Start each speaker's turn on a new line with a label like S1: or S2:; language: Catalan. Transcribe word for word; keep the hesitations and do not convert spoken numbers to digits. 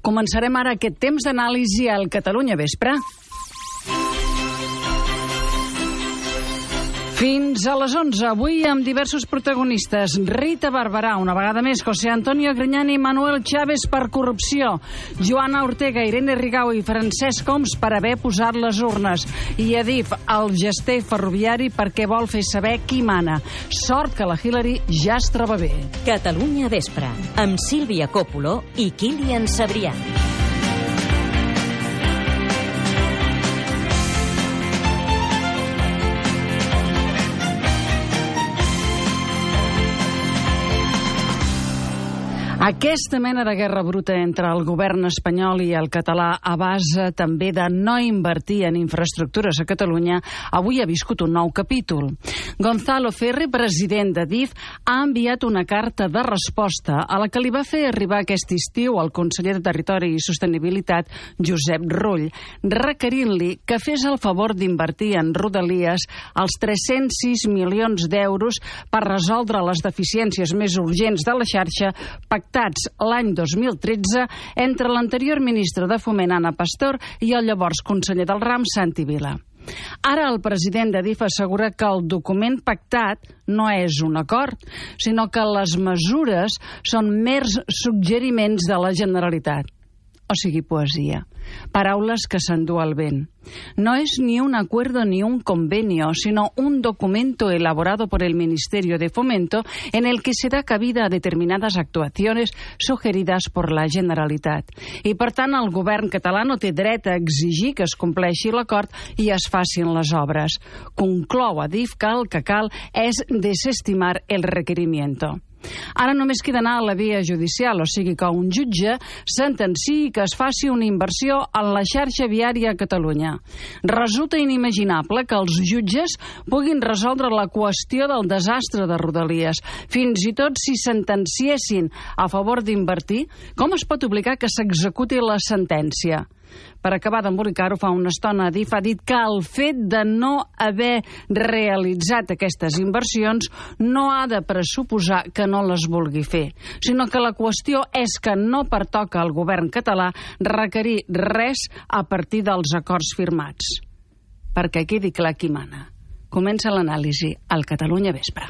S1: Començarem ara aquest temps d'anàlisi al Catalunya Vespre. Fins a les onze, avui amb diversos protagonistes. Rita Barberà, una vegada més, José Antonio Griñán i Manuel Chávez per corrupció, Joana Ortega, Irene Rigau i Francesc Homs per haver posat les urnes, i Adif, el gester ferroviari, perquè vol fer saber qui mana. Sort que la Hillary ja es troba bé.
S2: Catalunya Vespre, amb Sílvia Coppola i Kilian Sabrià.
S1: Aquesta mena de guerra bruta entre el govern espanyol i el català, a base també de no invertir en infraestructures a Catalunya, avui ha viscut un nou capítol. Gonzalo Ferri, president d'Adif, ha enviat una carta de resposta a la que li va fer arribar aquest estiu el conseller de Territori i Sostenibilitat, Josep Rull, requerint-li que fes el favor d'invertir en Rodalies els tres-cents sis milions d'euros per resoldre les deficiències més urgents de la xarxa pactats l'any dos mil tretze entre l'anterior ministre de Foment, Ana Pastor, i el llavors conseller del ram, Santi Vila. Ara el president d'Adif assegura que el document pactat no és un acord, sinó que les mesures són mers suggeriments de la Generalitat. O sigui, poesia. Paraules que s'endú el vent. No es ni un acuerdo ni un convenio, sino un documento elaborado por el Ministerio de Fomento en el que se da cabida a determinadas actuaciones sugeridas por la Generalitat. I, per tant, el govern català no té dret a exigir que es compleixi l'acord i es facin les obres. Conclou Adif que el que cal és desestimar el requerimiento. Ara només queda anar a la via judicial, o sigui que un jutge sentenciï que es faci una inversió en la xarxa viària a Catalunya. Resulta inimaginable que els jutges puguin resoldre la qüestió del desastre de Rodalies. Fins i tot si sentenciessin a favor d'invertir, com es pot obligar que s'executi la sentència? Per acabar d'embolicar-ho, fa una estona Adif ha dit que el fet de no haver realitzat aquestes inversions no ha de pressuposar que no les vulgui fer, sinó que la qüestió és que no pertoca al govern català requerir res a partir dels acords firmats. Perquè quedi clar qui mana. Comença l'anàlisi al Catalunya Vespre.